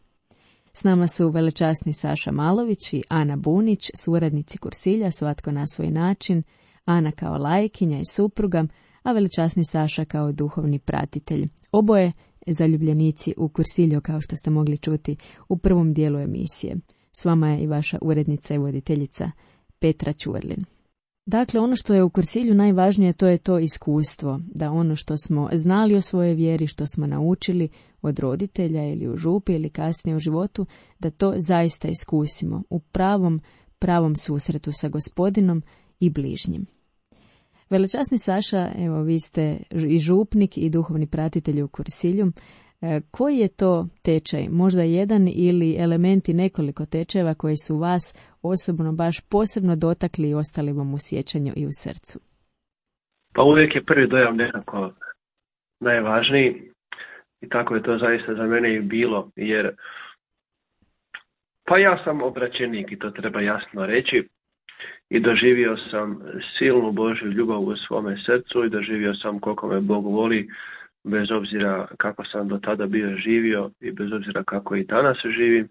A: S nama su velečasni Saša Malović i Ana Bunić, suradnici Kursilja, svatko na svoj način, Ana kao lajkinja i supruga, a velečasni Saša kao duhovni pratitelj. Oboje zaljubljenici u Kursiljo, kao što ste mogli čuti u prvom dijelu emisije. S vama je i vaša urednica i voditeljica Petra Ćurlin. Dakle, ono što je u Kursilju najvažnije, to je to iskustvo, da ono što smo znali o svojoj vjeri, što smo naučili od roditelja ili u župi ili kasnije u životu, da to zaista iskusimo u pravom, pravom susretu sa Gospodinom i bližnjim. Velečasni Saša, evo vi ste i župnik i duhovni pratitelj u Kursilju. E, koji je to tečaj? Možda jedan ili elementi nekoliko tečajeva koji su vas osobno baš posebno dotakli i ostali vam u sjećanju i u srcu?
F: Pa uvijek je prvi dojam nekako najvažniji i tako je to zaista za mene i bilo, jer pa ja sam obraćenik i to treba jasno reći. I doživio sam silnu Božju ljubav u svome srcu i doživio sam koliko me Bog voli, bez obzira kako sam do tada bio živio i bez obzira kako i danas živim.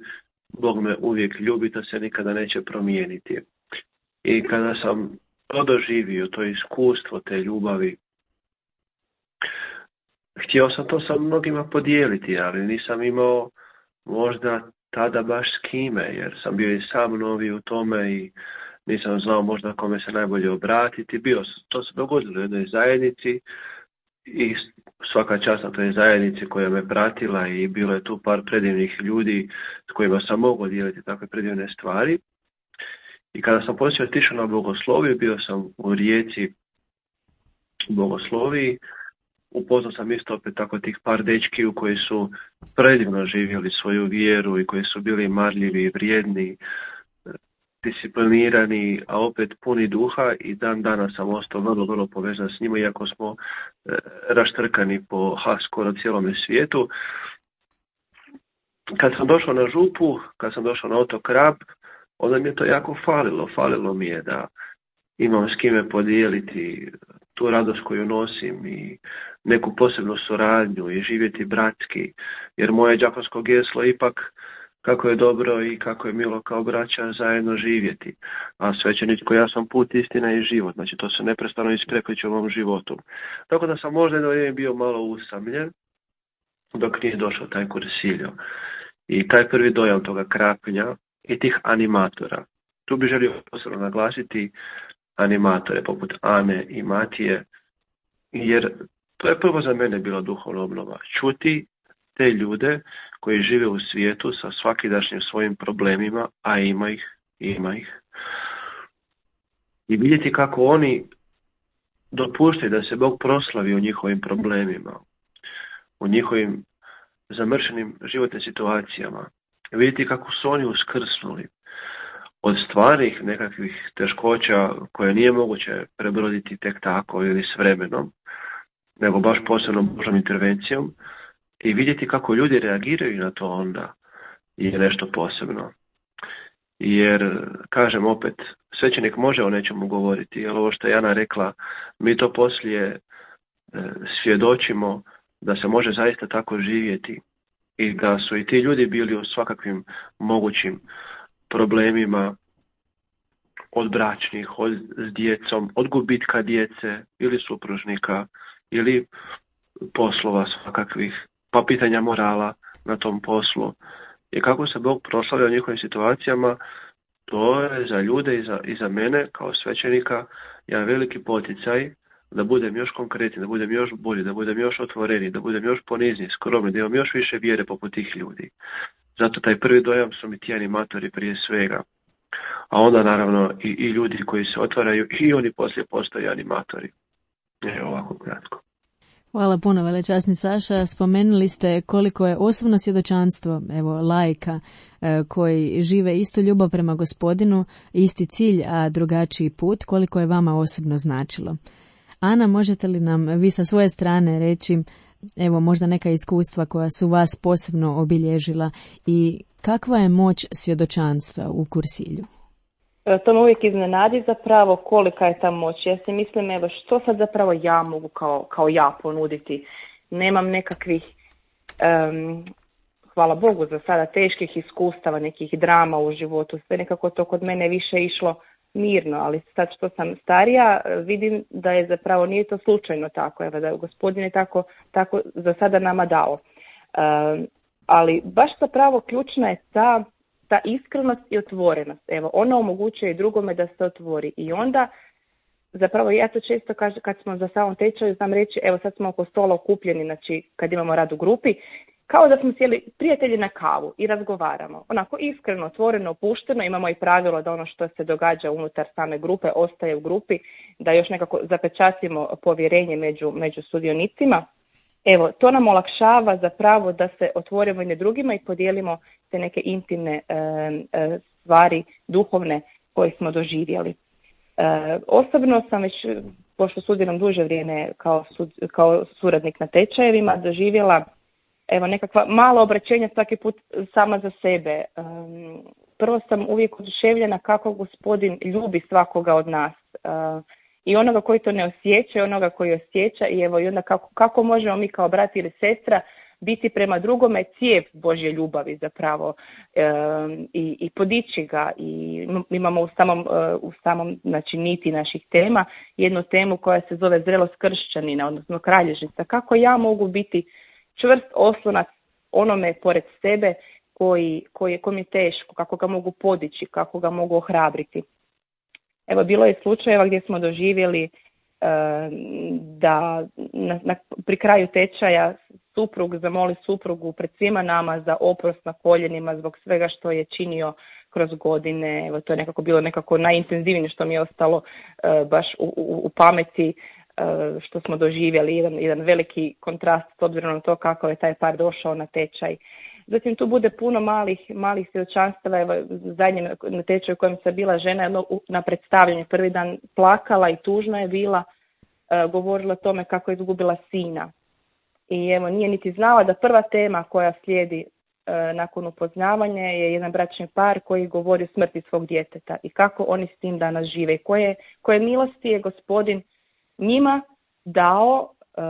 F: Bog me uvijek ljubi, to se nikada neće promijeniti. I kada sam to doživio, to iskustvo te ljubavi, htio sam to sa mnogima podijeliti, ali nisam imao možda tada baš s kime, jer sam bio i sam novi u tome i nisam znao možda kome se najbolje obratiti. Bio, to se dogodilo u jednoj zajednici i svaka čast na toj zajednici koja me pratila i bilo je tu par predivnih ljudi s kojima sam mogao dijeliti takve predivne stvari. I kada sam poslije otišao na bogosloviju, bio sam u Rijeci bogosloviji, upoznao sam isto opet tako tih par dečkiju koji su predivno živjeli svoju vjeru i koji su bili marljivi i vrijedni, disciplinirani, a opet puni duha i dan danas sam ostao vrlo, vrlo povezan s njima, iako smo e, raštrkani po ha, skoro cijelome svijetu. Kad sam došao na župu, kad sam došao na otok Rab, onda mi je to jako falilo. Falilo mi je da imam s kime podijeliti tu radost koju nosim i neku posebnu suradnju i živjeti bratski, jer moje đakonsko geslo ipak kako je dobro i kako je milo kao braća zajedno živjeti. A svećeničko ja sam put, istina i život. Znači to se neprestano isprepliče u mom životu. Tako da sam možda jedno vrijeme bio malo usamljen dok nije došao taj Kursiljo. I taj prvi dojam toga Krapnja i tih animatora. Tu bih želio posebno naglasiti animatore poput Ane i Matije, jer to je prvo za mene bila duhovna obnova. Čuti te ljude koji žive u svijetu sa svakidašnjim svojim problemima, a ima ih, ima ih. I vidjeti kako oni dopuštaju da se Bog proslavi u njihovim problemima, u njihovim zamršenim životnim situacijama. Vidjeti kako su oni uskrsnuli od stvarnih nekakvih teškoća koje nije moguće prebroditi tek tako ili s vremenom, nego baš posebnom Božom intervencijom. I vidjeti kako ljudi reagiraju na to onda je nešto posebno. Jer, kažem opet, svećenik može o nečemu govoriti, jer ovo što je Jana rekla, mi to poslije e, svjedočimo da se može zaista tako živjeti i da su i ti ljudi bili u svakakvim mogućim problemima, od bračnih, od, s djecom, od gubitka djece ili supružnika ili poslova svakakvih, pa pitanja morala na tom poslu. I kako se Bog proslavlja u njihovim situacijama, to je za ljude i za, i za mene kao svećenika jedan veliki poticaj da budem još konkretni, da budem još bolji, da budem još otvoreni, da budem još ponizni, skromni, da imam još više vjere poput tih ljudi. Zato taj prvi dojam su mi ti animatori prije svega. A onda naravno i, i ljudi koji se otvaraju i oni poslije postaju animatori. Evo ovako kratko.
A: Hvala puno, velečasni Saša. Spomenuli ste koliko je osobno svjedočanstvo, evo, laika e, koji žive istu ljubav prema Gospodinu, isti cilj, a drugačiji put, koliko je vama osobno značilo. Ana, možete li nam vi sa svoje strane reći, evo, možda neka iskustva koja su vas posebno obilježila i kakva je moć svjedočanstva u Kursilju?
E: To me uvijek iznenadi zapravo kolika je ta moć. Ja si mislim, evo, što sad zapravo ja mogu kao, kao ja ponuditi. Nemam nekakvih, um, hvala Bogu za sada, teških iskustava, nekih drama u životu. Sve nekako to kod mene više išlo mirno, ali sad što sam starija vidim da je zapravo, nije to slučajno tako, evo, da je Gospodin je tako, tako za sada nama dao. Um, ali baš zapravo ključna je ta ta iskrenost i otvorenost. Evo, ona omogućuje i drugome da se otvori. I onda, zapravo ja to često kažem kad smo za samom tečaju, znam reći, evo sad smo oko stola okupljeni, znači kad imamo rad u grupi, kao da smo sjeli prijatelji na kavu i razgovaramo. Onako iskreno, otvoreno, opušteno, imamo i pravilo da ono što se događa unutar same grupe ostaje u grupi, da još nekako zapečatimo povjerenje među, među sudionicima. Evo, to nam olakšava zapravo da se otvorimo jedne drugima i podijelimo te neke intimne e, e, stvari, duhovne, koje smo doživjeli. E, osobno sam već, pošto studiram duže vrijeme kao, sud, kao suradnik na tečajevima, doživjela evo, nekakva mala obraćenja svaki put sama za sebe. E, prvo sam uvijek oduševljena kako Gospodin ljubi svakoga od nas. E, I onoga koji to ne osjeća, i onoga koji osjeća, i evo i onda kako, kako možemo mi kao brat ili sestra biti prema drugome cijev Božje ljubavi zapravo e, i, i podići ga. I imamo u samom, u samom znači, niti naših tema jednu temu koja se zove zrelost kršćanina, odnosno kralježnica. Kako ja mogu biti čvrst oslonac onome pored sebe koji, koji, koji mi je teško, kako ga mogu podići, kako ga mogu ohrabriti. Evo, bilo je slučajeva gdje smo doživjeli e, da na, na, pri kraju tečaja suprug zamoli suprugu pred svima nama za oprost na koljenima zbog svega što je činio kroz godine. Evo, to je nekako bilo nekako najintenzivnije što mi je ostalo e, baš u, u, u pameti e, što smo doživjeli, jedan, jedan veliki kontrast s obzirom na to kako je taj par došao na tečaj. Zatim tu bude puno malih, malih svjedočanstava. Evo, zadnje na tečaju u kojem sam bila žena jedno, na predstavljanju prvi dan plakala i tužna je bila, e, govorila o tome kako je izgubila sina. I evo, nije niti znala da prva tema koja slijedi e, nakon upoznavanja je jedan bračni par koji govori o smrti svog djeteta i kako oni s tim danas žive. I koje, koje milosti je Gospodin njima dao e,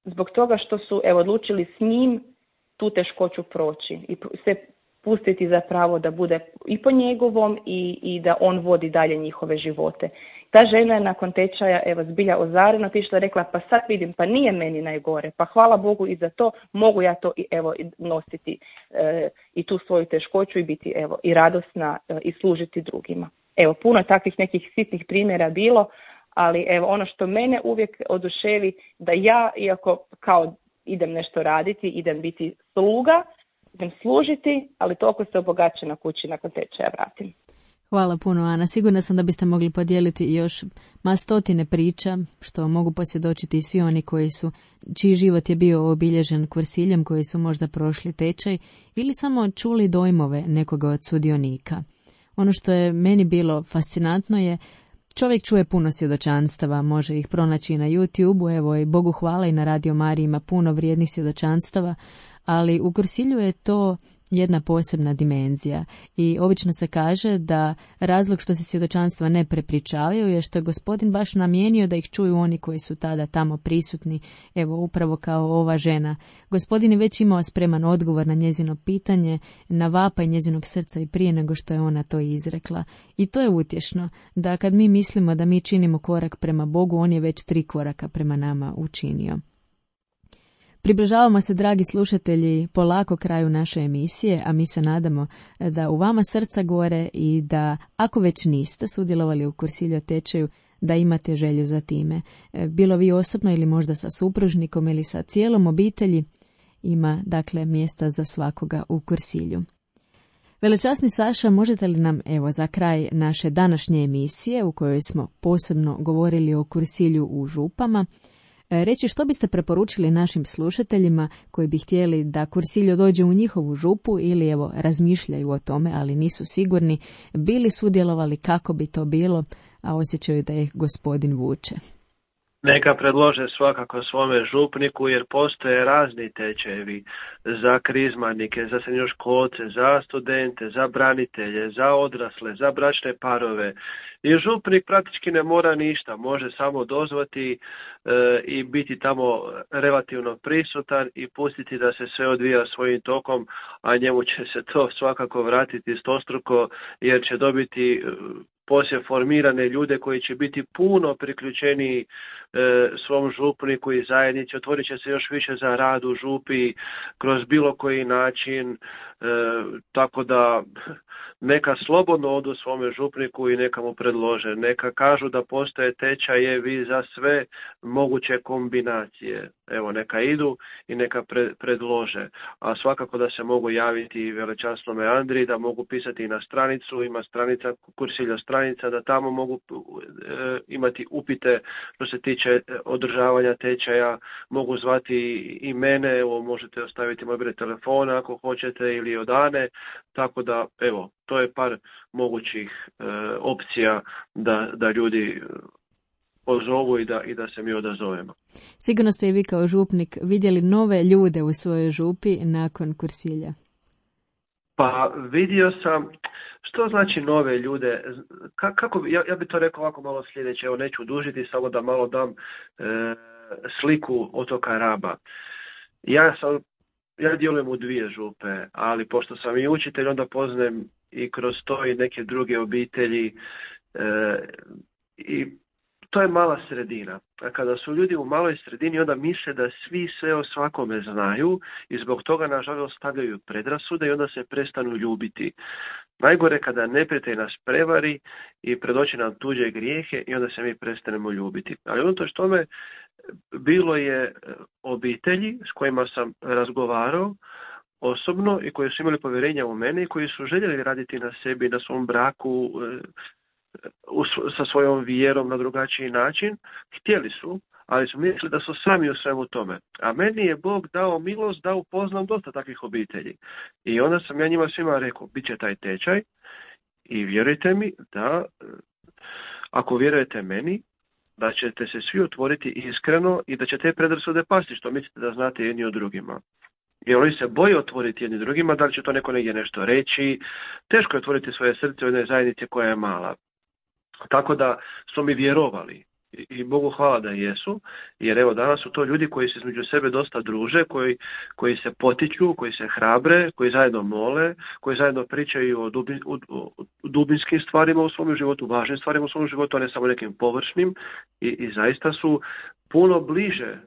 E: zbog toga što su evo, odlučili s njim tu teškoću proći i se pustiti zapravo da bude i po njegovom i, i da on vodi dalje njihove živote. Ta žena je nakon tečaja evo zbilja ozarena otišla, rekla pa sad vidim, pa nije meni najgore, pa hvala Bogu i za to mogu ja to i evo nositi e, i tu svoju teškoću i biti evo i radosna e, i služiti drugima. Evo, puno takvih nekih sitnih primjera bilo, ali evo ono što mene uvijek oduševi da ja, iako kao idem nešto raditi, idem biti sluga, idem služiti, ali toliko se obogaće na kući nakon tečaja vratim.
A: Hvala puno, Ana. Sigurna sam da biste mogli podijeliti još ma stotine priča, što mogu posvjedočiti svi oni koji su, čiji život je bio obilježen kursiljem, koji su možda prošli tečaj ili samo čuli dojmove nekoga od sudionika. Ono što je meni bilo fascinantno je čovjek čuje puno svjedočanstava, može ih pronaći i na YouTube-u, evo i Bogu hvala i na Radio Mariji ima puno vrijednih svjedočanstava, ali u kursilju je to jedna posebna dimenzija i obično se kaže da razlog što se svjedočanstva ne prepričavaju je što je Gospodin baš namijenio da ih čuju oni koji su tada tamo prisutni, evo upravo kao ova žena. Gospodin je već imao spreman odgovor na njezino pitanje, na vapaj njezinog srca i prije nego što je ona to izrekla. I to je utješno, da kad mi mislimo da mi činimo korak prema Bogu, on je već tri koraka prema nama učinio. Približavamo se, dragi slušatelji, polako kraju naše emisije, a mi se nadamo da u vama srca gore i da, ako već niste sudjelovali u kursilju tečaju, da imate želju za time. Bilo vi osobno ili možda sa supružnikom ili sa cijelom obitelji, ima dakle mjesta za svakoga u kursilju. Velečasni Saša, možete li nam evo za kraj naše današnje emisije u kojoj smo posebno govorili o kursilju u Župama, reći što biste preporučili našim slušateljima koji bi htjeli da Cursillo dođe u njihovu župu ili evo razmišljaju o tome, ali nisu sigurni, bili sudjelovali, kako bi to bilo, a osjećaju da ih gospodin vuče.
F: Neka predlože svakako svome župniku, jer postoje razni tečajevi za krizmanike, za srednjoškolce, za studente, za branitelje, za odrasle, za bračne parove. I župnik praktički ne mora ništa, može samo dozvati e, i biti tamo relativno prisutan i pustiti da se sve odvija svojim tokom, a njemu će se to svakako vratiti stostruko, jer će dobiti poslije formirane ljude koji će biti puno priključeniji e, svom župniku i zajednici, otvorit će se još više za rad u župi kroz bilo koji način, e, tako da neka slobodno odu svome župniku i neka mu predlože. Neka kažu da postoje tečajevi za sve moguće kombinacije. Evo, neka idu i neka pre, predlože. A svakako da se mogu javiti velečasnome Andriji, da mogu pisati na stranicu, ima stranica, Cursillo stranica, da tamo mogu e, imati upite što se tiče održavanja tečaja, mogu zvati i mene, evo, možete ostaviti moj broj telefona ako hoćete ili od Ane, tako da, evo, to je par mogućih e, opcija da, da ljudi pozovu i da, i da se mi odazovemo.
A: Sigurno ste i vi kao župnik vidjeli nove ljude u svojoj župi nakon Cursillia.
F: Pa vidio sam, što znači nove ljude, Ka, kako bi, ja, ja bi to rekao ovako malo sljedeće, evo neću dužiti, samo da malo dam e, sliku otoka Raba. Ja sam Ja djelujem u dvije župe, ali pošto sam i učitelj, onda poznajem i kroz to i neke druge obitelji e, i to je mala sredina. A kada su ljudi u maloj sredini, onda misle da svi sve o svakome znaju i zbog toga, nažalost, stavljaju predrasude i onda se prestanu ljubiti. Najgore kada neprijatelj nas prevari i predoči nam tuđe grijehe i onda se mi prestanemo ljubiti. Ali unatoč tome, bilo je obitelji s kojima sam razgovarao osobno i koji su imali povjerenja u mene i koji su željeli raditi na sebi, na svom braku, sa svojom vjerom na drugačiji način. Htjeli su, ali su mislili da su sami u svemu tome. A meni je Bog dao milost da upoznam dosta takvih obitelji. I onda sam ja njima svima rekao, bit će taj tečaj i vjerujte mi da ako vjerujete meni, da ćete se svi otvoriti iskreno i da će te predrasude pasti, što mislite da znate jedni o drugima. Jer oni se boje otvoriti jedni drugima, da li će to neko negdje nešto reći. Teško je otvoriti svoje srce u jednoj zajednici koja je mala. Tako da su mi vjerovali. I Bogu hvala da jesu, jer evo danas su to ljudi koji se između sebe dosta druže, koji, koji se potiču, koji se hrabre, koji zajedno mole, koji zajedno pričaju o, dubin, o, o dubinskim stvarima u svom životu, važnim stvarima u svom životu, a ne samo nekim površnim i, i zaista su puno bliže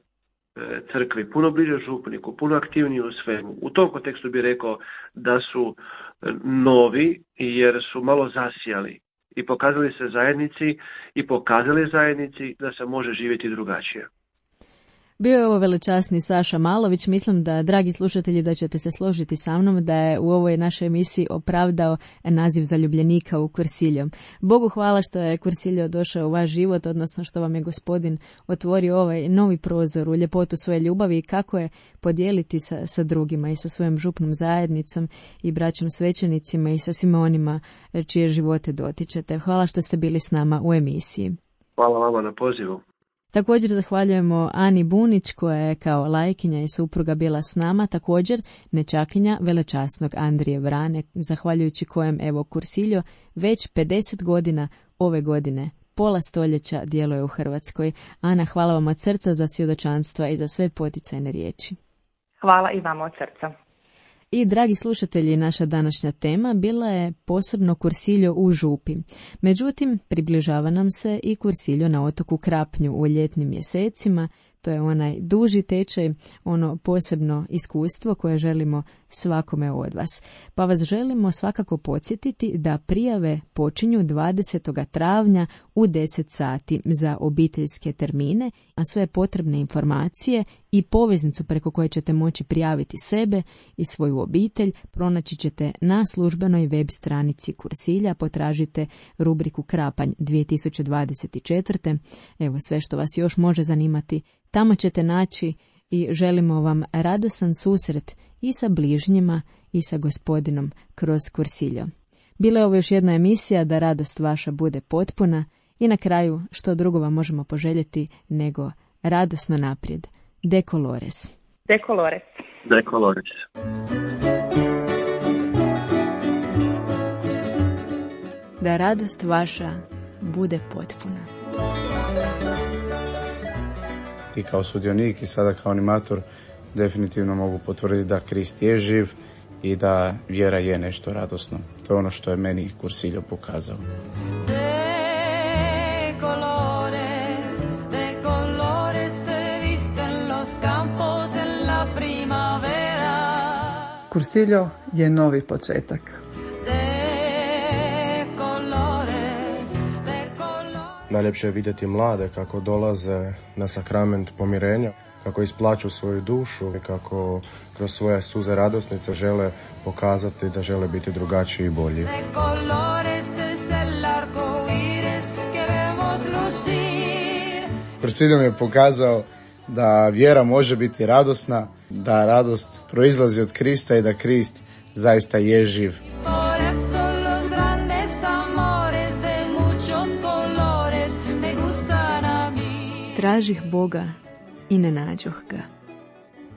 F: e, crkvi, puno bliže župniku, puno aktivniji u svemu. U tom kontekstu bih rekao da su novi jer su malo zasijali i pokazali se zajednici i pokazali zajednici da se može živjeti drugačije.
A: Bio je ovo velečasni Saša Malović. Mislim da, dragi slušatelji, da ćete se složiti sa mnom da je u ovoj našoj emisiji opravdao naziv zaljubljenika u Cursillo. Bogu hvala što je Cursillo došao u vaš život, odnosno što vam je Gospodin otvorio ovaj novi prozor u ljepotu svoje ljubavi i kako je podijeliti sa, sa drugima i sa svojom župnom zajednicom i braćom svećenicima i sa svima onima čije živote dotičete. Hvala što ste bili s nama u emisiji.
F: Hvala vama na pozivu.
A: Također zahvaljujemo Ani Bunić koja je kao lajkinja i supruga bila s nama, također nečakinja velečasnog Andrije Vrane, zahvaljujući kojem evo Cursillo već pedeset godina ove godine, pola stoljeća djeluje u Hrvatskoj. Ana, hvala vam od srca za svjedočanstva i za sve poticajne riječi.
E: Hvala i vama od srca.
A: I, dragi slušatelji, naša današnja tema bila je posebno Cursillo u župi. Međutim, približava nam se i Cursillo na otoku Krapnju u ljetnim mjesecima. To je onaj duži tečaj, ono posebno iskustvo koje želimo svakome od vas. Pa vas želimo svakako podsjetiti da prijave počinju dvadesetog travnja u deset sati za obiteljske termine, a sve potrebne informacije i poveznicu preko koje ćete moći prijaviti sebe i svoju obitelj pronaći ćete na službenoj web stranici Kursilja. Potražite rubriku Krapanj dvije tisuće dvadeset četvrte. Evo sve što vas još može zanimati, tamo ćete naći i želimo vam radostan susret i sa bližnjima i sa Gospodinom kroz Kursiljo. Bila je ovo još jedna emisija da radost vaša bude potpuna i na kraju što drugo vam možemo poželjeti nego radosno naprijed. De colores.
E: De colores.
F: De colores.
A: Da radost vaša bude potpuna.
B: I kao sudionik i sada kao animator definitivno mogu potvrditi da Krist je živ i da vjera je nešto radosno. To je ono što je meni Kursiljo pokazao.
G: De colores, de colores se visten los campos en la primavera.
C: Kursiljo je novi početak.
G: De colores, de colores.
D: Najljepše je vidjeti mlade kako dolaze na sakrament pomirenja, kako isplaću svoju dušu i kako kroz svoje suze radosnice žele pokazati da žele biti drugačiji i bolji.
G: De colores es el arco iris que vemos lucir.
B: Kursiljo mi je pokazao da vjera može biti radosna, da radost proizlazi od Krista i da Krist zaista je živ.
G: Por eso los grandes amores de muchos colores me gustan a mí.
A: Tražih Boga i ne nađoh ga.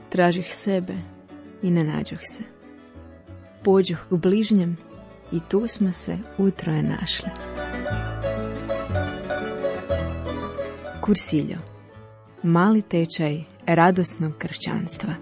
A: Tražih sebe i ne nađoh se. Pođoh k bližnjem i tu smo se utroje našli. Kursiljo. Mali tečaj radosnog kršćanstva.